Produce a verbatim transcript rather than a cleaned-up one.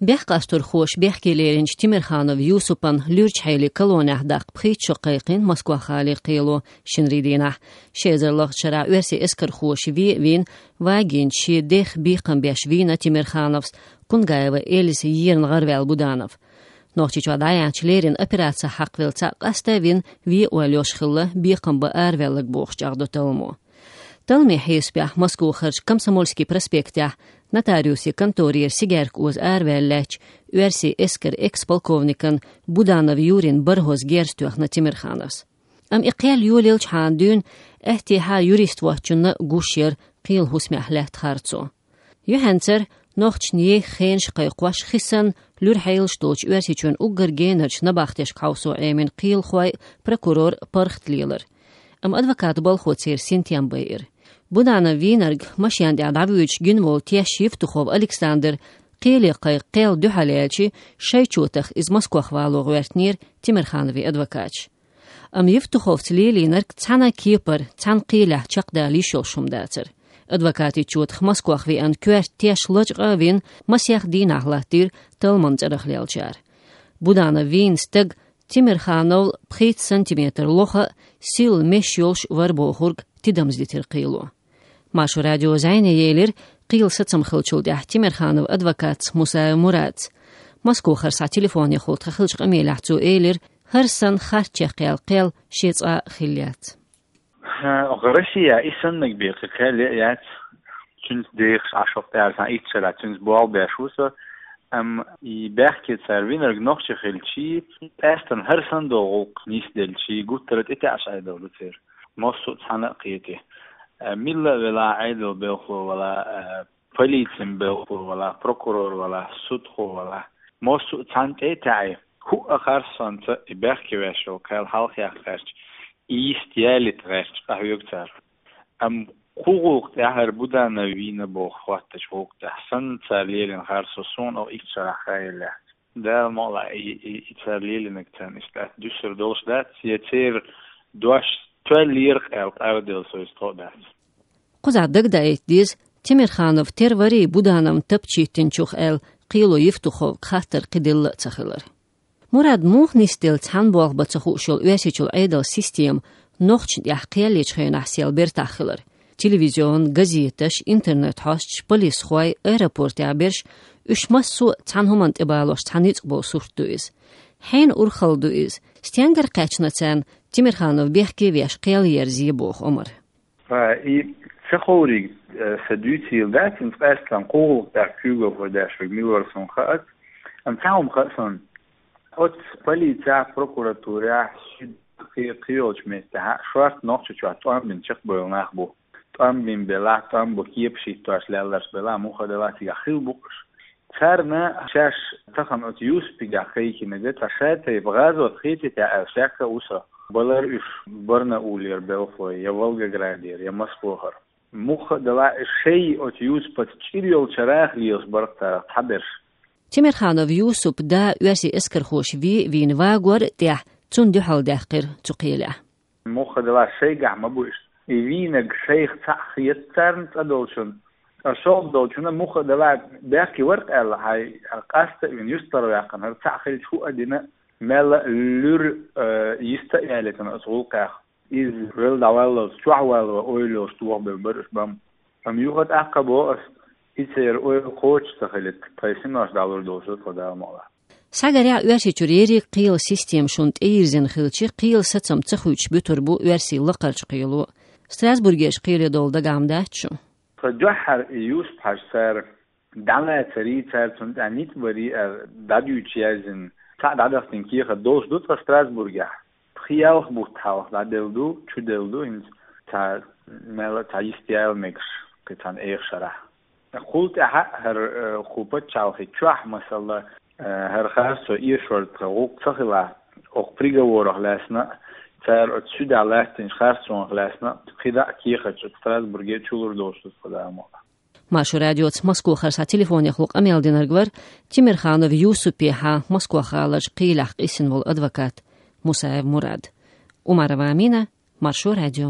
Бехкъасторхоша бехке леринчу Тимирханов Юсупан луьрачу хьеле колонехь даккха пхийтта шо кхайкхийна Москох-гӀалин кхело шинарин дийнахь. Ши эзар лахачу шарахь оьрсийн эскархоша вен а вийна, вагийна шен дех бекхам беш вийна Тимирхановс Кунгаева Эльза ерна гӀараваьлла Буданов. Нохчийчохь дӀаяьхьначу леррина операци хьакхавелла цхьаъ къаста а вина, вен а ойла йолуш хилла, бекхам бан араваьлларг бохуш чӀагӀдо талламо. Талламийн хьесапехь Москохарчу Комсомольский проспектехь нотариусан конторера сигаьрка оза араваьлла лаьттачу оьрсийн эскаран экс-полковникан Буданов Юрин бархӀазза герз тоьхна Тимирхановс. Амма и кхел йолаелчхьана дуьйна аьттехьа юрист воцчунна гуш яра кхелан хӀусамехь лаьтта харцо. Юьхьанцара нохчашна еха хенаш кхайкхош хи санна луьра хьелаш долчу Оьрсийчоьнан уггар генарчу набахтешка хьовсо Ӏемина кхелахой а, прокурор а паргӀат лелара. Амма адвокатан балхо церан синтем байира. Буданов вийнарг машен тӀехь дӀавуьйцуш гина волу теш Евтухов Александр кхеле кхайкха кхел дуьхьал яьлча, шайн чотах иза Москох вало гӀоьртинера Тимирхановн адвокаташа. Амма Евтуховца лелийнарг цхьана а кепара, цхьана а кхелехь чекхдала йиш йолуш хӀума дацара. Адвокатан чотах Москох веана коьрта теш лачкъа а вина, масех дийнахь латтийра талламан цӀарах леллачара. Буданов вийна стаг Тимирхановл пхийтта сантиметр лоха а, силла меш йолуш вара бохург тидамза дитира кхело. Маршо радио зӀене елира кхелан сацам хиллачул тӀаьхьа Тимирхановн адвокатца Мусаев Мурадца. Москохара схьа телефонехула тхан хиллачу къамелехь цо элира, хӀара санна харц чекхъяьлла кхел шен цкъа а хилла яц. ХӀа, оха Россехь и саннарг бен кхин кхел яц, цуьнца дехаш Ӏаш хӀокху тӀаьххьара цхьана итт шарахь цуьнца болх беш ву со, амма и бехке цара винарг нохчи хилчий, къаьсттина хӀара санна долу гӀуллакх нисделчий, гуттара а тӀетаьӀаш Ӏедал ду церан. Массо а цхьаьна а кхетий. Э, милла а велахь, Ӏедалан белхало валахь, э, полицин белхало валахь, прокурор валахь, судхо валахь, массо а цхьаьна тӀе а таьӀий, хӀуъа харцонца и бехке веш йолу кхел хьалхаяхка гӀерташ, и йист ялийта гӀерташ къахьоьгу цара. Амма кху гӀуллакх тӀехь хӀара Буданов вийна боху хӀоттачу гӀуллакх тӀехь санна цара лелийна харцо суна оха итт шарахь хаелла яц. Дала мукъалахь, и, и, и цара лелийнарг царна иштта дуьсур долуш дац, я церан дош тоьллера-кх аьлла къарделла со иза тхо а дац. Кхузахь дагадаийта деза, Тимирханов тера варий Будановн тапча йиттинчух аьлла, кхело Евтуховга хаттар кхин делла а ца хилар. Мурад муха нисделла цхьаьна болх бан ца хууш йолу Оьрсийчуьра Ӏедалан система нохчашна тӀехь кхел ечу хенахь сел бертахь хилар. Телевизион, газеташ, интернет-хьосташ, полисхой, аэропортехь берш, уьш массо а цхьана хӀуманна тӀебалош цхьа ницкъ болу сурт ду иза. Хьенан урхалла ду иза? Стенгара кхаьчна царна Тимирханов бехке веш кхел ерзае боху омра? Ха, и ца ховриг, э, сан дуьйцийла дац, хӀинца къаьсттина кху гӀуллакх тӀехь куьйгалхо деш верг мила вара суна хаац. Амма цхьа хӀума хаьа суна. Оцу полицехь, прокуратурехь, суьд кхи-, кхийолчу меттехь шорта Нохчийчохь тӀом бина чекхбевлла нах бу. ТӀом бина белахь, тӀом бу кепаш хӀиттош лелларш белахь, муха а делахь цигахь хилла бу-кх уьш. Царна шаьш тахана оцу Юсупигахь кхайкхинарг цхьа ша тайпа гӀазот хетий те аьлла шек а ву сан. Балара уьш Барнаулера белхалой, я Волгоградера, я Москохара. Муха а делахь, шай оцу Юсупаца чӀир йолчарах лелаш бара-кх царах цхьаберш. Тимирханов Юсупан да оьрсийн эскархоша вен а вийна вагор а тӀехь, цунна дуьхьал даьккхира цу кхелехь. Муха а делахь, шайгахь ма бу уьш. И вийнарг шайх цхьаъ хета царна цӀа долчунна. Ткъа шолгӀа долчунна муха а делахь, бехке вара-кх аьлла, хьайн къаста а вина, юьстахваьккхина, хӀара цхьаъ хилча хӀуъа а дина, мелла а луьра, э, йист а ялийтина оцу гӀуллакхех. Иза велла дӀаваллалц, чохь валло ойла йолуш тохабевлла бара уьш бан. Амма юха а тӀаккха боху ас, и церан ойла кхочуш ца хилийта, тхайн синош дӀалур долуш ду тхо, Дала мукъалахь. Схьагарехь, Оьрсийчуьра ерриг кхелан система шуна тӀейирзина хилча, кхелан сацам ца хуьйцуш буьтур бу оьрсийн лакхарчу кхело. Страсбургерчу кхеле долу дагахь хӀума дац шун? Тхан дуьххьара и Юсуп-Хьаьжа цара дӀалацарий, цара цунна тӀехь ницкъ барий аьлла, дӀадуьйцуш яздина, цхьаъ дӀадахтина кехат долуш ду тхан Страсбургехь. Пхи-ялх бутт хьалха дӀаделла ду, чуделла ду, хӀинца цхьа мелла а цхьа йист яла мегаш кхин цхьана эха шарахь. Кхул тӀаьхьа а хӀара, э, кху пачхьалкхе чохь, масала, э, хӀара харцо эшор тхан гӀуллакх ца хилахь, окху приговорах лаьцна а, цара оцу суьдехь лаьттинчу харцонах лаьцна а, кхидӀа а кехаташ оцу Страсбурге чулур долуш ду тхан, Дала мукъалахь. Маршо радиоца Москохара схьа телефонехула къамел динарг вара Тимирханов Юсупехьа Москох-гӀаларчу кхелехь къийсина волу адвокат Мусаев Мурад. Умарова Амина, Маршо радио.